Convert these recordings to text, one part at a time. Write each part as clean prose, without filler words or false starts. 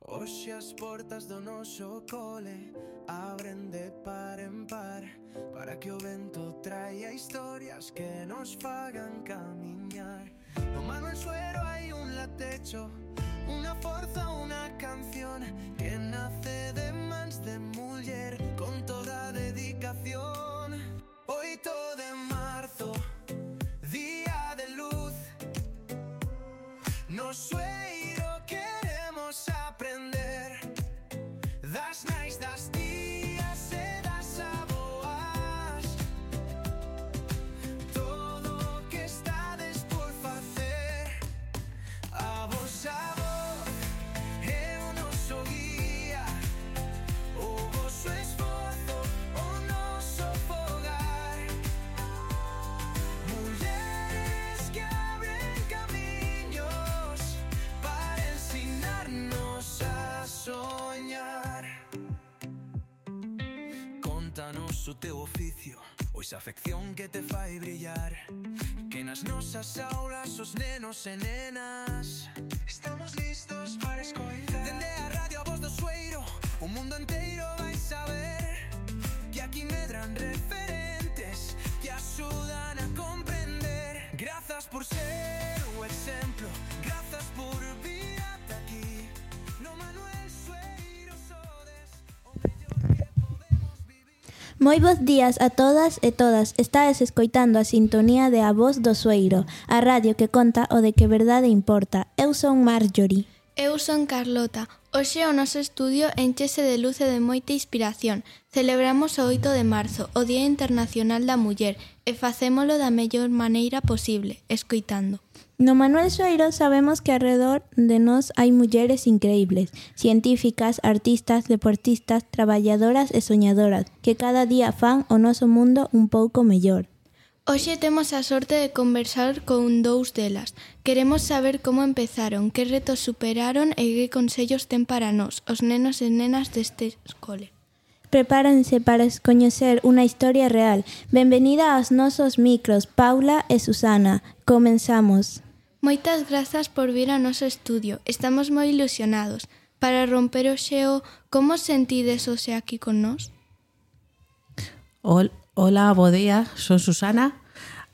Hoxe as portas do noso cole abren de par en par, para que o vento traia historias que nos fagan camiñar. No Manuel Suero hai un latecho, unha forza, unha canción que nace de mans de muller con toda dedicación. 8 de marzo, día de luz, no Sueiro queremos aprender das nais, das tías e das aboas, todo o que estades por facer. A vosa voz é o noso guía, o voso esforzo, o noso fogar. Mulleres que abren camiños para ensinarnos a soñar. Contanos o teu oficio, ou esa afección que te fai brillar, que nas nosas aulas os nenos e nenas estamos listos para escoitar. Dende a radio a voz do Sueiro, o mundo inteiro vai saber que aquí medran referentes que axudan a comprender. Grazas por ser o exemplo, grazas por vir ata aquí. No Manuel Sueiro sodes o mellor que podemos vivir. Moi bons días a todas e todas. Estades escoitando a sintonía de A Voz do Sueiro, a radio que conta o de que verdade importa. Eu son Marjorie. Eu son Carlota. Hoxe o noso estudio enchese de luz e de moita inspiración. Celebramos o 8 de marzo, o Día Internacional da Muller, e facémolo da mellor maneira posible, escoitando. No Manuel Sueiro sabemos que alrededor de nós hai mulleres increíbles, científicas, artistas, deportistas, traballadoras e soñadoras, que cada día fan o noso mundo un pouco mellor. Hoxe temos a sorte de conversar con dous delas. Queremos saber como empezaron, que retos superaron e que consellos ten para nós, os nenos e nenas deste escole. Prepárense para coñecer unha historia real. Benvenida aos nosos micros, Paula e Susana. Comenzamos. Moitas grazas por vir ao noso estudio. Estamos moi ilusionados. Para romper o xeo, como sentides hoxe aquí con nós? Hola, bo día, son Susana.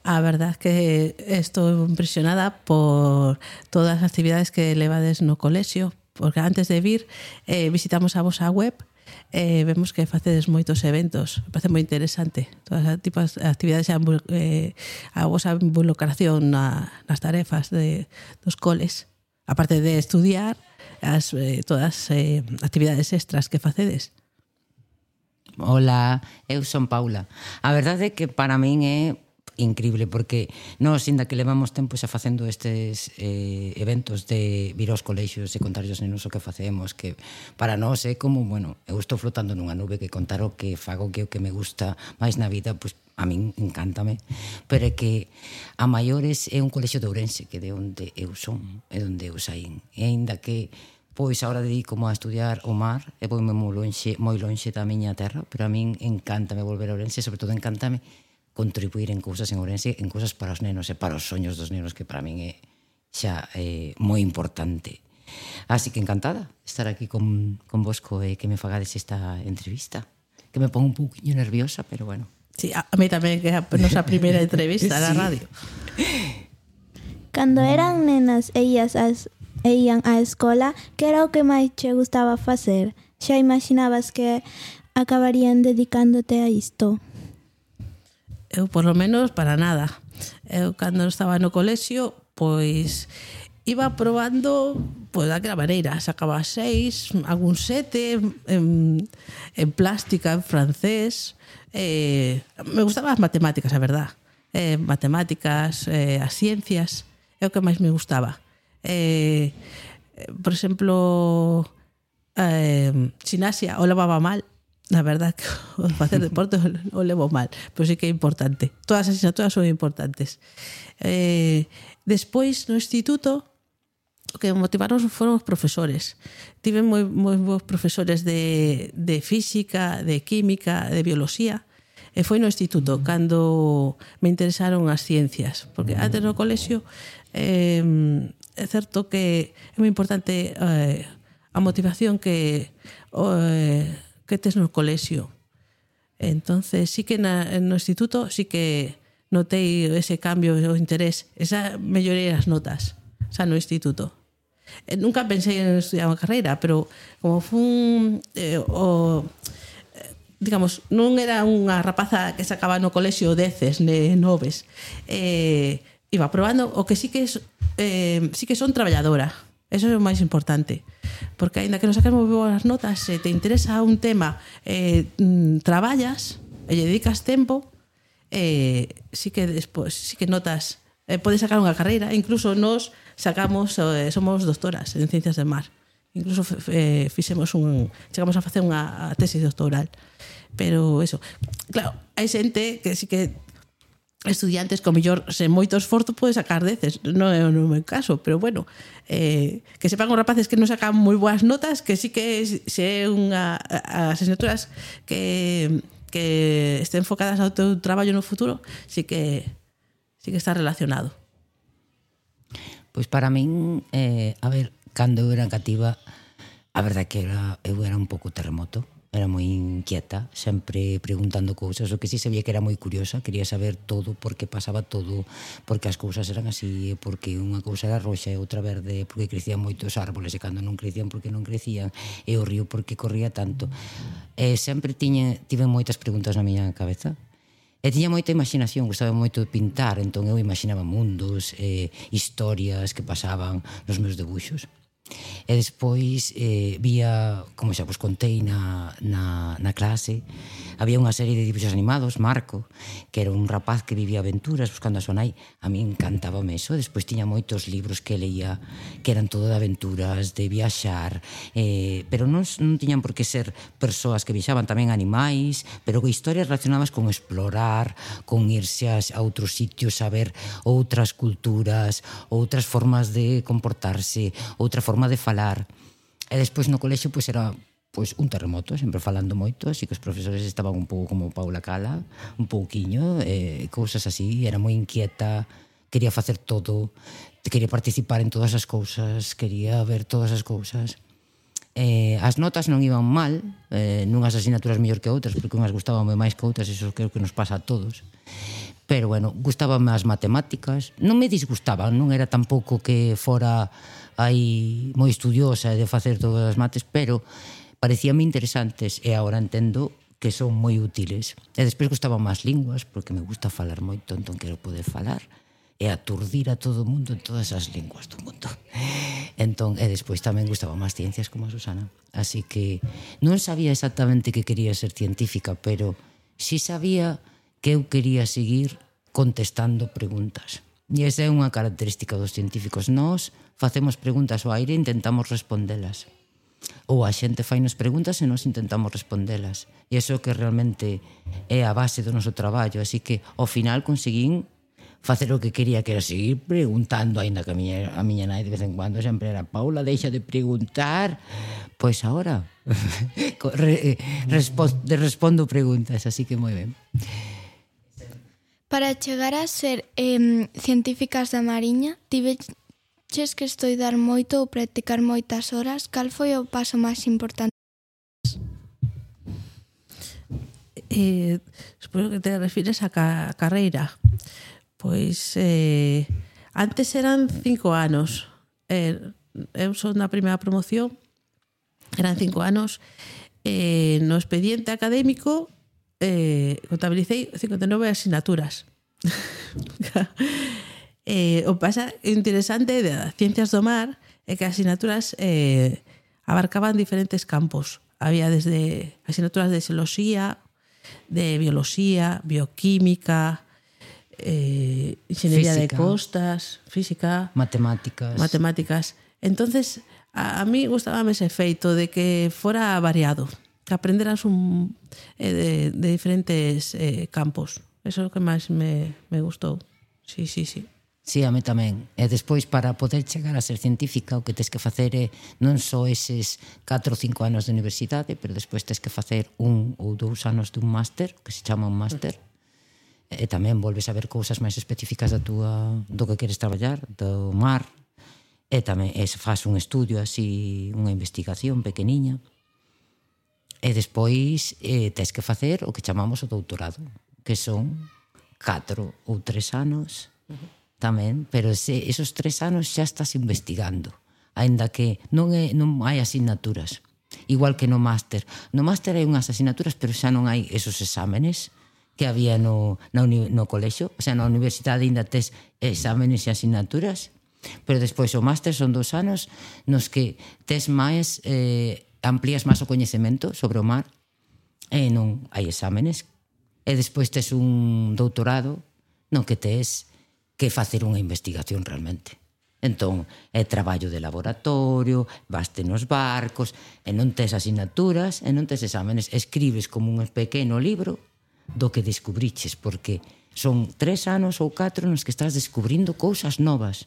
A verdad que estou impresionada por todas as actividades que levades no colexio, porque antes de vir visitamos a vosa web e vemos que facedes moitos eventos. Me parece moi interesante todas as tipos de actividades e a vosa involucración nas tarefas dos coles, aparte de estudiar todas as actividades extras que facedes. Hola, eu son Paula. A verdade é que para min é increíble, porque nós, inda que levamos tempo xa facendo estes eventos de vir aos colexios e contar aos nenos o que facemos, que para nós é como, bueno, eu estou flotando nunha nube, que contar o que fago, que o que me gusta máis na vida, pois a min encántame, pero é que a maiores é un colexio de Ourense, que de onde eu son, é onde eu saín, e aínda que pois agora dedico a estudiar o mar e voume moi lonxe da miña terra, pero a min encántame volver a Ourense, sobre todo encántame contribuir en cousas en Ourense, en cousas para os nenos e para os soños dos nenos, que para min é xa moi importante. Así que encantada estar aquí con vosco e que me fagades esta entrevista, que me pon un pouquinho nerviosa, pero bueno. Sí, a mí tamén, que é a nosa primeira entrevista na radio. Cando eran nenas e ían á escola, que era o que máis che gustaba facer? Xa imaginabas que acabarían dedicándote a isto? Eu, por lo menos, para nada. Eu, cando estaba no colexio, pois iba probando daquela maneira. Sacaba 6, algún 7, en plástica, en francés. Me gustaban as matemáticas, a verdad. Matemáticas, as ciencias, é o que máis me gustaba. Por exemplo, xinasia o levaba mal. Na verdad que facer deporte o levo mal, pero sí que é importante. Todas as asignaturas son importantes. Despois, no instituto, o que me motivaron foron os profesores. Tive moi bons profesores de física, de química, de bioloxía, e foi no instituto cando me interesaron as ciencias, porque antes no colexio é certo que é moi importante a motivación que tes no colexio. Entonces, sí que no instituto sí que notei ese cambio, o interés, esa melloría das notas, xa no instituto. Nunca pensei en estudiar unha carreira, pero como fun digamos, non era unha rapaza que sacaba no colexio 10 noves, iba probando. O que sí que son traballadora. Eso é o máis importante, porque aínda que non saques moi boas notas, se te interesa un tema, traballas e lle dedicas tempo, sí que despois sí que notas, podes sacar unha carreira. Incluso nos sacamos, somos doctoras en ciencias del mar, incluso chegamos a facer unha tesis doctoral. Pero eso, claro, hai xente que sí que estudiantes con mellor sen moito esforzo pode sacar 10, non é o meu caso, pero bueno, que sepan os rapaces que non sacan moi boas notas, que sí que se é as asignaturas que estén enfocadas ao teu traballo no futuro, sí que está relacionado. Pois para min, a ver, cando eu era cativa, a verdade que eu era un pouco terremoto. Era moi inquieta, sempre preguntando cousas. O que sí sabía que era moi curiosa, quería saber todo, por que pasaba todo, porque as cousas eran así, porque unha cousa era roxa e outra verde, porque crecían moitos árboles e cando non crecían, porque non crecían, e o río porque corría tanto. Sempre tive moitas preguntas na miña cabeza. E tiña moita imaginación, gustaba moito de pintar, entón eu imaginaba mundos, historias que pasaban nos meus debuxos. E despois vía, como xa vos contei na clase, había unha serie de dibujos animados, Marco, que era un rapaz que vivía aventuras buscando a súa nai. A mí encantábame eso. Despois tiña moitos libros que leía que eran todo de aventuras, de viaxar, pero non tiñan por que ser persoas que viaxaban, tamén animais, pero historias relacionadas con explorar, con irse a outros sitios, a ver outras culturas, outras formas de comportarse, outra forma de falar. E despois no colexio era un terremoto, sempre falando moito, así que os profesores estaban un pouco como Paula Cala, un pouquiño, cousas así. Era moi inquieta, quería facer todo, quería participar en todas as cousas, quería ver todas as cousas. As notas non iban mal, nunhas asignaturas mellor que outras, porque unhas gustaban máis que outras, eso creo que nos pasa a todos. Pero, bueno, gustabanme as matemáticas, non me disgustaban, non era tampouco que fora aí moi estudiosa de facer todas as mates, pero parecíame interesantes e agora entendo que son moi útiles. E despois gustaban máis linguas, porque me gusta falar moito, entón quero poder falar e aturdir a todo o mundo en todas as linguas do mundo. Entón, e despois tamén gustaban máis ciencias como a Susana. Así que non sabía exactamente que quería ser científica, pero sí sabía que eu quería seguir contestando preguntas. E esa é unha característica dos científicos. Nós facemos preguntas ao aire e intentamos respondelas. Ou a xente fainos preguntas e nós intentamos respondelas. E iso que realmente é a base do noso traballo. Así que, ao final, conseguín facer o que quería, que era seguir preguntando, aínda que a miña nai de vez en cuando sempre era: Paula, deixa de preguntar. Pois agora respondo preguntas, así que moi ben. Para chegar a ser científicas da Mariña, tiveches que estudar moito ou practicar moitas horas. Cal foi o paso máis importante? Supoño que te refires a carreira. Pois antes eran 5 anos. Eu son na primeira promoción, eran 5 anos. No expediente académico contabilicei 59 asignaturas. O pasa interesante de ciencias do mar é que as asignaturas abarcaban diferentes campos. Había desde asignaturas de xeoloxía, de bioloxía, bioquímica, ingeniería de costas, física, matemáticas. Entonces, a mí gustábame ese feito de que fora variado, que aprenderas de diferentes campos. Eso é o que máis me gustou. Sí. Sí, a mí tamén. E despois, para poder chegar a ser científica, o que tens que facer é non só eses 4 ou 5 anos de universidade, pero despois tens que facer 1 ou 2 anos de un máster, que se chama un máster, e tamén volves a ver cousas máis específicas do que queres traballar, do mar, e tamén faz un estudio así, unha investigación pequeniña, e despois tes que facer o que chamamos o doutorado, que son 4 ou 3 anos tamén, pero esos 3 anos xa estás investigando, aínda que non hai asignaturas, igual que no máster. No máster hai unhas asignaturas, pero xa non hai esos exámenes que había no colexio, o sea, na universidade ainda tes exámenes e asignaturas, pero despois o máster son 2 anos nos que tes máis, amplías máis o coñecemento sobre o mar, e non hai exámenes, e despois tes un doutorado no que tes que facer unha investigación realmente. Entón, é traballo de laboratorio, vaste nos barcos, e non tes asignaturas, e non tes exámenes, escribes como un pequeno libro do que descubriches, porque son 3 anos ou 4 nos que estás descubrindo cousas novas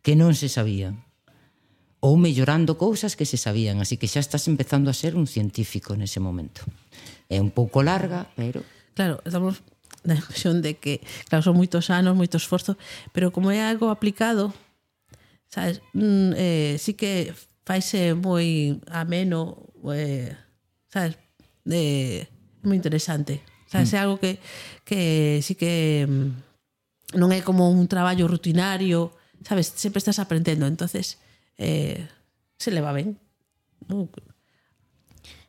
que non se sabían, ou mellorando cousas que se sabían, así que xa estás empezando a ser un científico nese momento. É un pouco larga, pero... Claro, estamos na impresión de que, claro, son moitos anos, moito esforzo, pero como é algo aplicado, sabes, sí que faise moi ameno, sabes, moi interesante. Sabes, é algo que sí que non é como un traballo rutinario, sabes, sempre estás aprendendo, entonces se leva ben.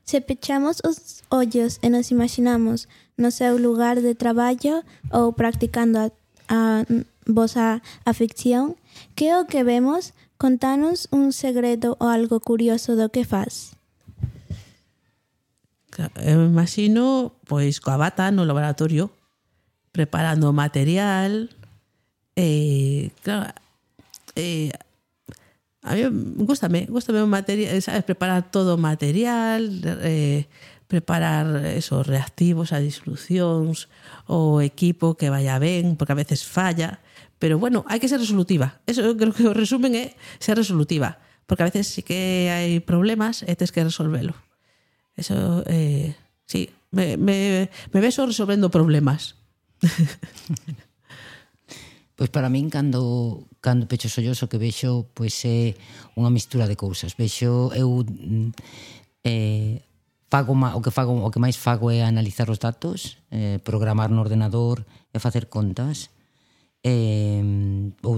Se pechamos os ollos e nos imaginamos no seu lugar de traballo ou practicando a vosa afección, que é o que vemos? Contanos un segredo ou algo curioso do que faz. Eu me imagino, pois, coa bata no laboratorio, preparando material, claro, a mí gústame o material, sabes, preparar todo o material, preparar esos reactivos, as disolucións, o equipo que vaya ben, porque a veces falla, pero bueno, hai que ser resolutiva. Eso creo que o resumen é ser resolutiva, porque a veces sí que hai problemas e tens que resolvelo. Eso, sí, me beso resolvendo problemas. Pois para min, cando pecho os ollos, o que vexo pois é unha mistura de cousas. Vexo, eu o que máis fago é analizar os datos, programar no ordenador e facer contas, ou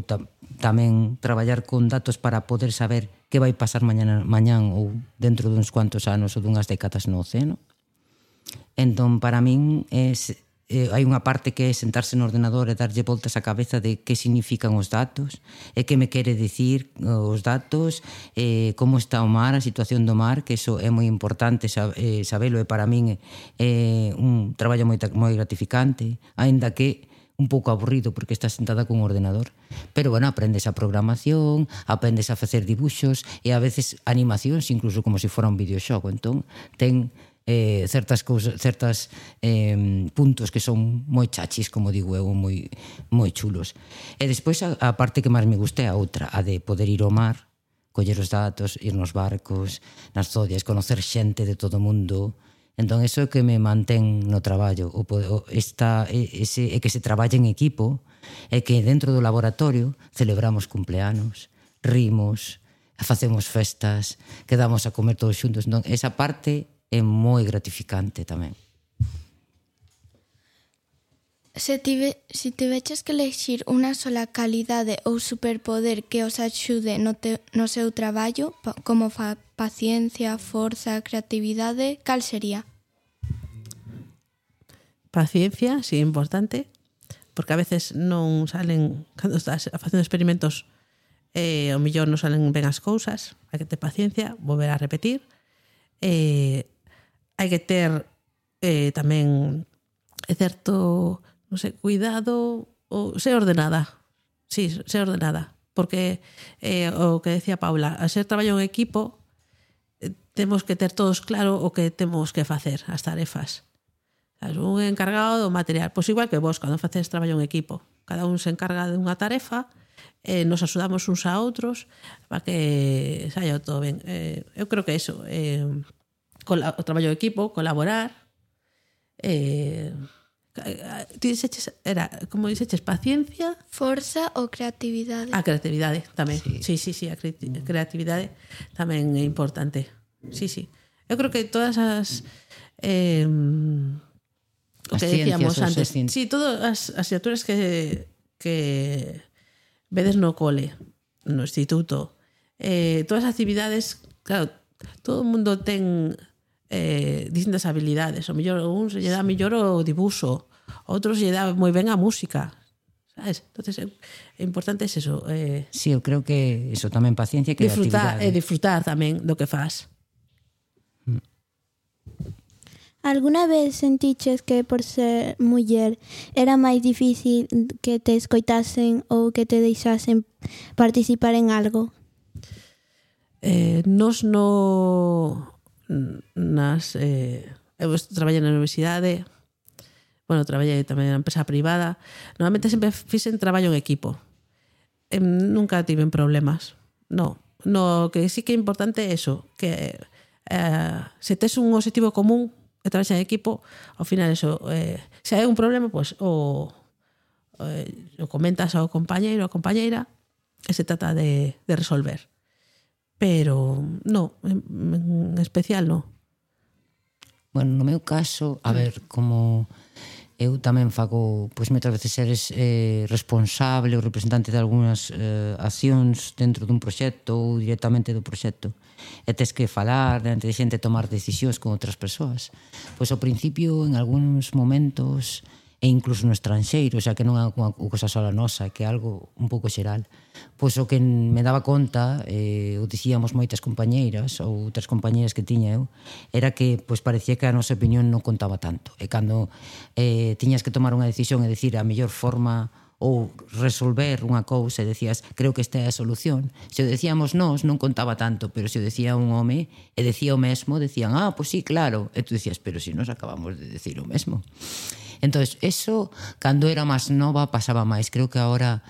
tamén traballar con datos para poder saber que vai pasar mañán ou dentro duns cuantos anos ou dunhas décadas no océano. Entón, para min hai unha parte que é sentarse no ordenador e darlle voltas á cabeza de que significan os datos e que me quere dicir os datos, como está o mar, a situación do mar, que iso é moi importante sabelo, e para min é un traballo moi gratificante, aínda que un pouco aburrido porque estás sentada con un ordenador, pero bueno, aprendes a programación, aprendes a facer dibuxos e a veces animacións, incluso como se fora un videoxogo. Entón, ten certas puntos que son moi chachis, como digo eu, moi chulos. E despois a parte que máis me gusta é a outra, a de poder ir ao mar, coller os datos, ir nos barcos, nas zodias, conocer xente de todo o mundo. Entón, eso é que me mantén no traballo, é que se traballa en equipo, é que dentro do laboratorio celebramos cumpleanos, rimos, facemos festas, quedamos a comer todos xuntos. Entón, esa parte é moi gratificante tamén. Se tiveches que elexir unha sola calidade ou superpoder que os axude no seu traballo, como paciencia, forza, creatividade, cal sería? Paciencia, sí, importante, porque a veces non salen, cando estás facendo experimentos, ao mellor non salen ben as cousas, hai que ter paciencia, volver a repetir, hai que ter tamén certo, non sei, cuidado, ou ser ordenada. Sí, ser ordenada, porque o que decía Paula, a ser traballo en equipo, temos que ter todos claro o que temos que facer, as tarefas. Un encargado do material, pois igual que vos, cando facedes traballo en equipo, cada un se encarga de unha tarefa, nos axudamos uns a outros para que saia todo ben. Eu creo que iso, o traballo de equipo, colaborar, Ti dixeches, era, como dixeches, paciencia... Forza ou creatividade. A creatividade tamén. Sí. Sí, a creatividade tamén é importante. Sí. Eu creo que todas as... o que decíamos antes. Sí, todas as asignaturas que vedes no cole, no instituto, todas as actividades, claro, todo o mundo ten distintas habilidades. O mellor uns lle dá mellor o dibuixo, outros lle dá moi ben a música, sabes? Entonces, é importante é eso. Sí, eu creo que eso tamén paciencia e creatividade. Disfrutar tamén do que fas. Alguna vez sentiches que por ser muller era máis difícil que te escoitasen ou que te deixasen participar en algo? Nos eu traballei na universidade, traballei tamén na empresa privada. Normalmente sempre fixen traballo en equipo. Nunca tiven problemas. No, que sí que é importante é eso, que se tes un objetivo común e traballas en equipo, ao final eso, se hai un problema, pues, o comentas ao compañeiro ou compañeira e se trata de resolver. Pero no, en especial no. Bueno, no meu caso, a ver, como eu tamén fago, pois moitas veces eres responsable ou representante de algunhas accións dentro dun proxecto ou directamente do proxecto, e tes que falar diante de xente, tomar decisións con outras persoas. Pois ao principio, en algúns momentos, e incluso no estranxeiro, xa que non é unha cosa sola nosa, que é algo un pouco xeral, pois o que me daba conta, o dicíamos moitas compañeiras ou outras compañeiras que tiña eu, era que pois parecía que a nosa opinión non contaba tanto. E cando tiñas que tomar unha decisión e dicir a mellor forma ou resolver unha cousa e decías, creo que esta é a solución. Se o decíamos nós, non contaba tanto, pero se o decía un home e decía o mesmo, decían, pois sí, claro. E tú decías, pero si nos acabamos de decir o mesmo. Entonces, eso, cando era máis nova, pasaba máis. Creo que agora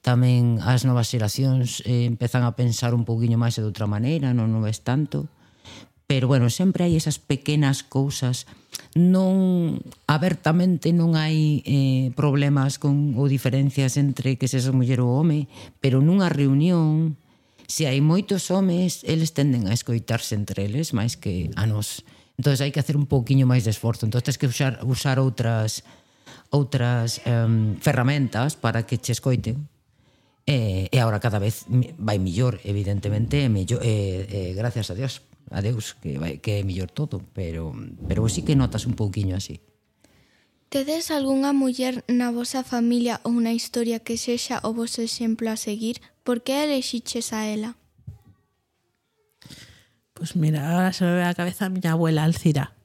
tamén as novas xeracións empezan a pensar un pouquiño máis de outra maneira, non ves tanto. Pero, bueno, sempre hai esas pequenas cousas. Non, abertamente non hai problemas ou diferencias entre que seas muller ou home, pero nunha reunión, se hai moitos homes, eles tenden a escoitarse entre eles máis que a nós. Entón, hai que hacer un pouquiño máis de esforzo. Entón, tens que usar outras ferramentas para que che escoiten. E agora cada vez vai millor, evidentemente, gracias a Dios, que é millor todo, pero sí que notas un pouquiño así. Tedes algunha muller na vosa familia ou unha historia que sexa o voso exemplo a seguir? Por que elixiches a ela? Pues mira, ahora se me ve a cabeza a miña abuela Alcira.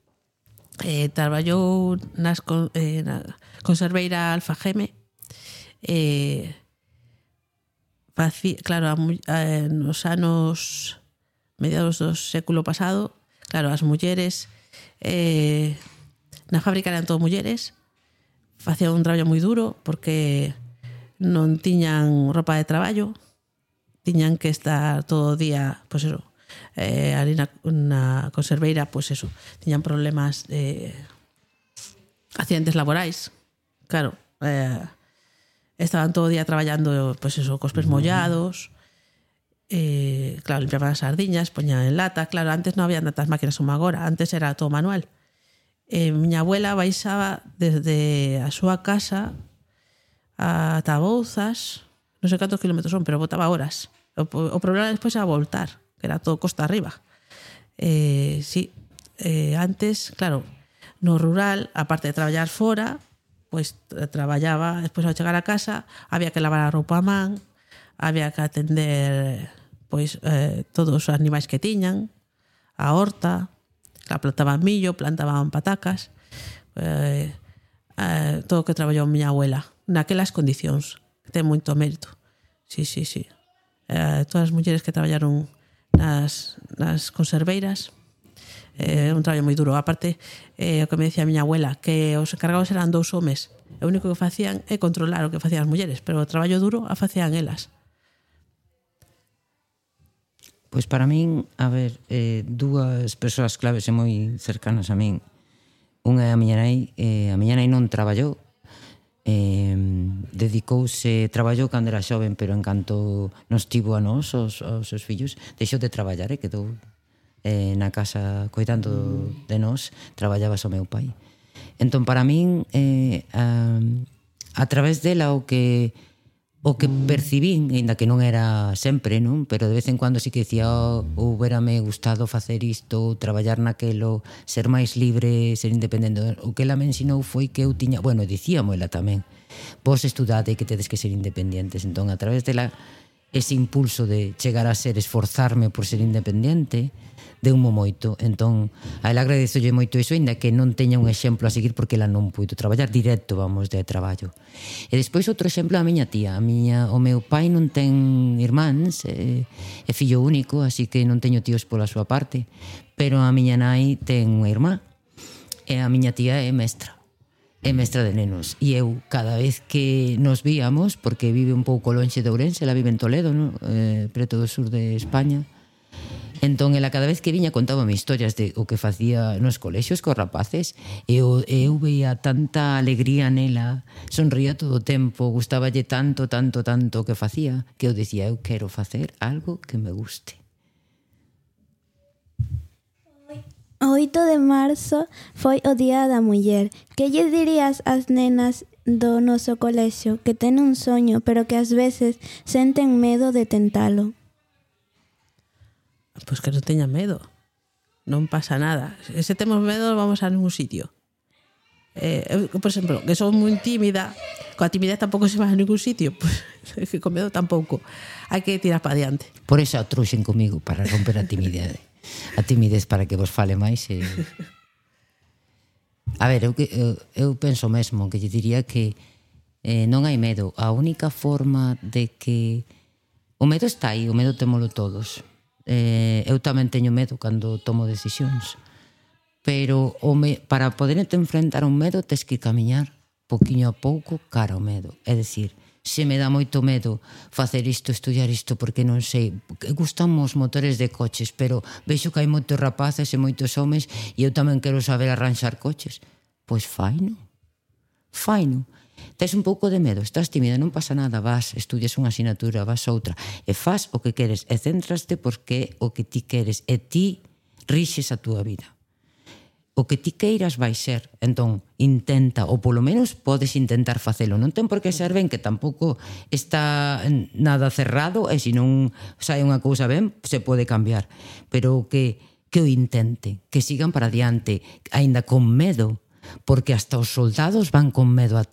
Traballou na conserveira Alfageme. Claro, nos anos mediados do século pasado, claro, as mulleres na fábrica eran todo mulleres, facían un traballo moi duro porque non tiñan roupa de traballo, tiñan que estar todo o día, pues eso, ali na conserveira, pues eso, tiñan problemas de accidentes laborais, claro, estaban todo o día traballando, pues eso, cos pés mollados, claro, limpiaban as sardiñas, poñan en lata, claro, antes non había tantas máquinas como agora, antes era todo manual. Miña abuela baixaba desde a súa casa ata Bouzas, non sei cantos kilómetros son, pero botaba horas. O problema despois era voltar, que era todo costa arriba. Antes, claro, no rural, aparte de traballar fora, pois traballaba, despois ao chegar a casa había que lavar a roupa a man, había que atender pois todos os animais que tiñan, a horta, plantaban millo, plantaban patacas, todo o que traballou miña abuela naquelas condicións, que ten moito mérito. Sí. Todas as mulleres que traballaron nas conserveiras, un traballo moi duro. Aparte, o que me decía a miña abuela, que os encargados eran 2 homes, o único que facían é controlar o que facían as mulleres, pero o traballo duro a facían elas. Pois para min, a ver, dúas persoas claves e moi cercanas a min Unha é a miña nai non traballou, traballou cando era xoven, pero en canto nos tivo a nós, aos seus fillos, deixou de traballar e quedou na casa coidando de nós. Traballaba o meu pai. Entón, para min, a través dela o que percibín, ainda que non era sempre, non? Pero de vez en cuando sí que dicía, huberame gustado facer isto, traballar naquelo, ser máis libre, ser independente. O que ela me ensinou foi que eu tiña, bueno, dicíamo ela tamén, vos estudade que tedes que ser independentes. Entón, a través dela, ese impulso de chegar a ser, esforzarme por ser independente, deu-mo moito. Entón, a ela agradezolle moito iso, ainda que non teña un exemplo a seguir, porque ela non puido traballar directo, vamos, de traballo. E despois outro exemplo, a miña tía. O meu pai non ten irmáns, é fillo único, así que non teño tíos pola súa parte, pero a miña nai ten unha irmá, e a miña tía é mestra de nenos. E eu, cada vez que nos víamos, porque vive un pouco lonxe de Ourense, ela vive en Toledo, no? Preto do sur de España. Entón, ela cada vez que viña contábame historias de o que facía nos colexios cos rapaces, e eu veía tanta alegría nela, sonría todo o tempo, gustáballe tanto o que facía, que eu dicía, eu quero facer algo que me guste. O 8 de marzo foi o Día da Muller. Que lle dirías ás nenas do noso colexio que ten un soño, pero que ás veces senten medo de tentalo? Pois que non teña medo. Non pasa nada. Se temos medo, vamos a ningún sitio. Eu, por exemplo, que son moi tímida, coa timidez tampouco se va a ningún sitio, pues, que con medo tampouco. Hai que tirar para diante. Por eso atruxen comigo, para romper a timidez. A timidez para que vos fale máis. A ver, eu penso mesmo que lle diría que non hai medo. A única forma de que o medo está aí, o medo témolo todos. Eu tamén teño medo cando tomo decisións, pero para poder enfrentar un medo tes que camiñar poquinho a pouco cara ao medo. É dicir, se me dá moito medo facer isto, estudiar isto, porque non sei, gustan os motores de coches, pero vexo que hai moitos rapaces e moitos homes e eu tamén quero saber arranxar coches. Pois faino. Tes un pouco de medo, estás tímida, non pasa nada, vas, estudias unha asignatura, vas outra, e faz o que queres, e centraste porque o que ti queres, e ti rixes a túa vida. O que ti queiras vai ser, entón, intenta, ou polo menos podes intentar facelo. Non ten por que ser ben, que tampouco está nada cerrado, e se non sai unha cousa ben, se pode cambiar. Pero que o intente, que sigan para diante, aínda con medo, porque hasta os soldados van con medo á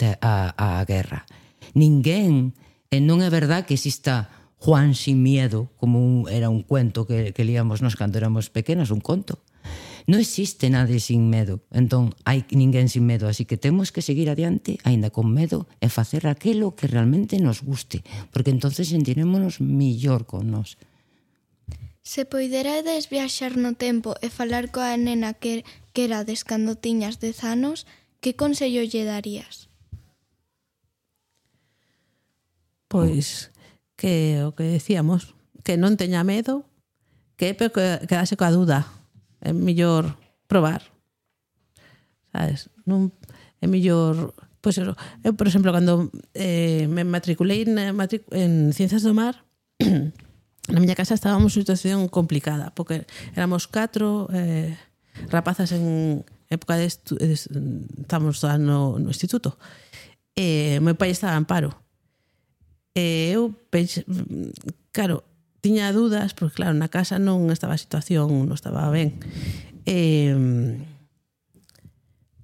guerra. Ninguén, non é verdad que exista Juan sin miedo, como era un cuento que líamos nos cando éramos pequenos, un conto. Non existe nadie sin medo, entón hai ninguén sin medo, así que temos que seguir adiante, aínda con medo, e facer aquilo que realmente nos guste, porque entonces sentirémonos millor con nós. Se poiderades viaxar no tempo e falar coa nena que erades cando tiñas 10 anos, que consello lle darías? Pois que o que decíamos, que non teña medo, que quedase coa dúda. É mellor probar. Sabes? Non é mellor, pois eso. Eu, por exemplo, cando me matriculei en Ciencias do Mar, na miña casa estábamos en situación complicada, porque éramos 4 rapazas en época de estábamos no instituto. Meu pai estaba en paro. Eu pensei, claro, tiña dúdas, porque claro, na casa non estaba a situación, non estaba ben.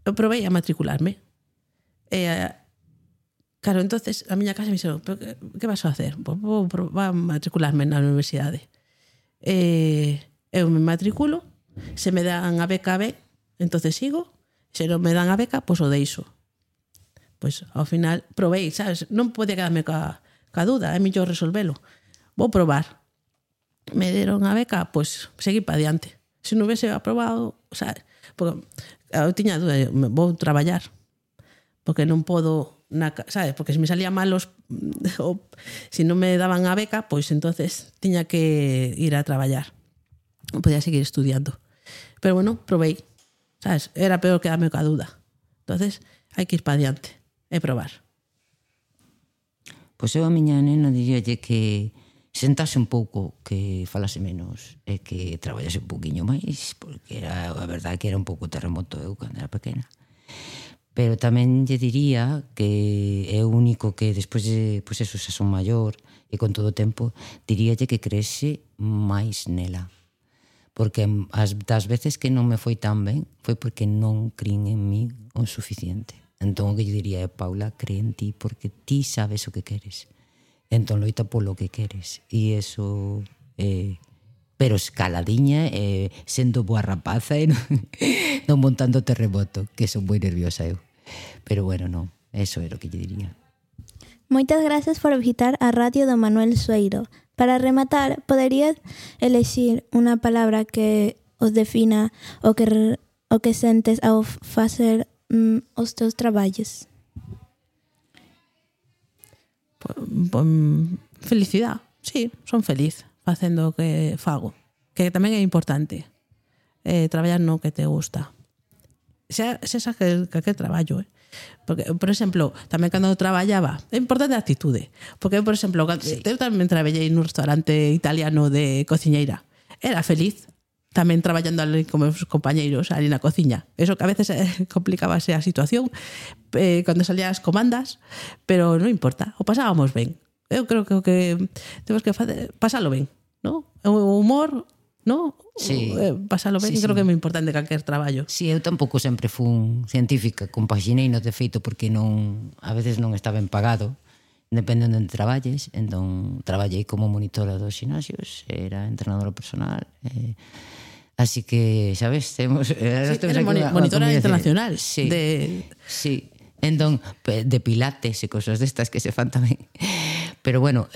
Eu provei a matricularme. Claro, entonces a miña casa me dixeron, que vas a hacer? Vou a matricularme na universidade. Eu me matriculo, se me dan a beca ben, entonces sigo, se non me dan a beca, pois o deixo. Pois ao final provei, sabes? Non podía quedarme ca dúda, é mellor resolvelo. Vou probar. Me deron a beca, pois seguí para diante. Se non hubiese aprobado, sabes? Porque eu tiña dúda, vou traballar, porque non podo, sabes? Porque se me salía mal se non me daban a beca, pois entonces tiña que ir a traballar. Non podía seguir estudiando. Pero bueno, provei. sabes? Era peor quedarme ca duda. Entonces, hai que ir para diante e probar. Pois eu a miña nena diríalle que sentase un pouco, que falase menos e que traballase un poquinho máis, porque era, a verdade que era un pouco terremoto eu cando era pequena. Pero tamén lle diría que é o único que despois de, pois eso, xa son maior e con todo o tempo, diríalle que creese máis nela. Porque das veces que non me foi tan ben foi porque non crin en mí o suficiente. Entón o que lle diría é, Paula, cree en ti porque ti sabes o que queres. Entón loita polo que queres. E eso... pero escaladiña, sendo boa rapaza e non montando terremoto, que son moi nerviosa eu. Pero bueno, non, eso era o que lle diría. Moitas gracias por visitar a Radio do Manuel Sueiro. Para rematar, poderías elexir unha palabra que os defina o que sentes ao facer os teus traballos? Felicidade, sí, son feliz facendo o que fago, que tamén é importante traballar no que te gusta, xa que traballo, porque, por exemplo, tamén cando traballaba é importante a actitude, porque, por exemplo, eu tamén traballei nun restaurante italiano de cociñeira, era feliz tamén traballando ali con meus compañeiros ali na cociña. Eso que a veces complicábase a situación cando salían as comandas, pero non importa, o pasábamos ben. Eu creo que o que temos que facer, pasalo ben, ¿no? O humor, ¿no? Sí. Pasalo ben, Sí, creo sí. que é moi importante calquer traballo. Si, eu tampouco sempre fun científica, compaxinei no de feito porque non, a veces non está ben pagado, depende onde traballes. Entón traballei como monitora dos xinasios, era entrenadora personal, así que, sabes, temos monitora internacional sí, de... sí. Entón, de pilates e cosas destas que se fan tamén. Pero bueno,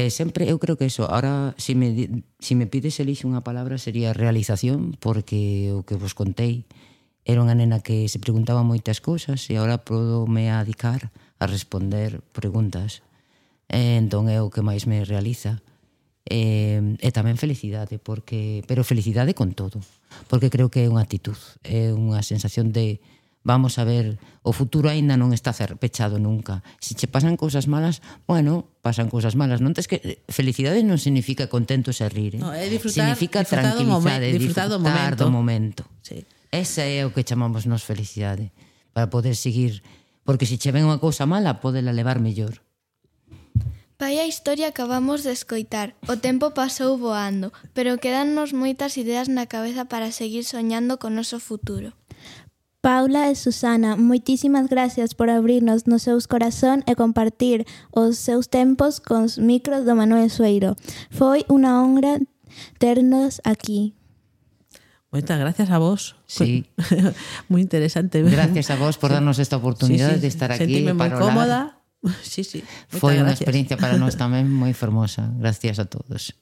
sempre eu creo que eso, ahora si me pides elixe unha palabra sería realización, porque o que vos contei era unha nena que se preguntaba moitas cousas e agora podo me dedicar a responder preguntas. Entón é o que máis me realiza. E tamén felicidade, pero felicidade con todo, porque creo que é unha actitud, é unha sensación de vamos a ver, o futuro aínda non está pechado nunca. Se che pasan cousas malas, bueno, pasan cousas malas. Non tes que felicidade non significa contentos e rir, No, é disfrutar, significa tranquilidade, disfrutar do momento. Sí. Esa é o que chamamos nos felicidade, para poder seguir, porque se che ven unha cousa mala, podela levar mellor. Vai a historia acabamos de escoitar. O tempo pasou voando, pero quedannos moitas ideas na cabeza para seguir soñando con noso futuro. Paula e Susana, moitísimas gracias por abrirnos nos seus corazón e compartir os seus tempos cos micros do Manuel Sueiro. Foi unha honra ternos aquí. Moitas gracias a vos. Sí. Moi interesante. Gracias a vos por darnos esta oportunidade de estar aquí Sentime moi para cómoda. Sí. Foi unha gracias. experiencia para nós tamén moi fermosa. Gracias a todos.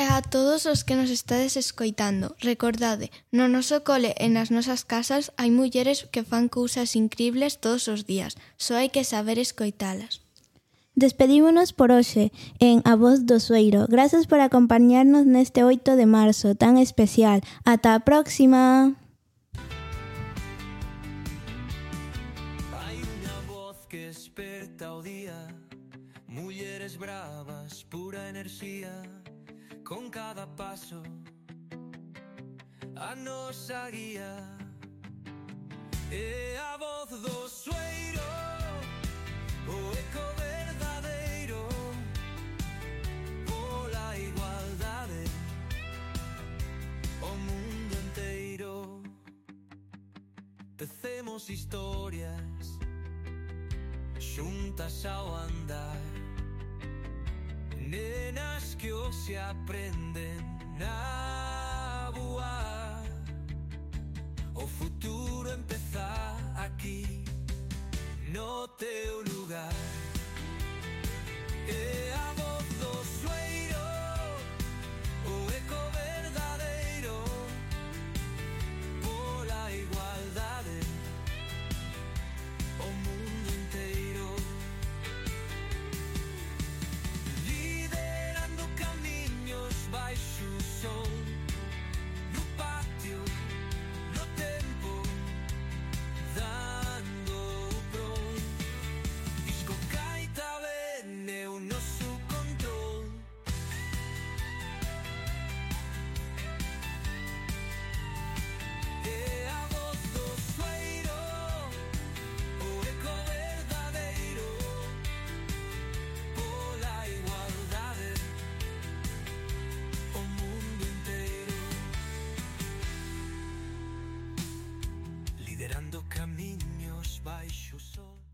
E a todos os que nos estades escoitando, recordade, no noso cole e nas nosas casas hai mulleres que fan cousas incribles todos os días, só hai que saber escoitalas. Despedímonos por hoxe en A Voz do Sueiro. Gracias por acompañarnos neste 8 de marzo tan especial. Ata a próxima! Hai unha voz que esperta o día, mulleres bravas, pura enerxía, con cada paso a nosa guía. É a voz do Sueiro, o eco verdadeiro, pola igualdade, o mundo inteiro. Tecemos historias xuntas ao andar, nenas que hoxe aprenden a voar. O futuro empeza aquí, no teu lugar. É a voz do Sueiro, o eco verdadeiro, pola igualdade, o mundo inteiro. Liderando camiños baixo o sol, no liderando camiños baixo o sol.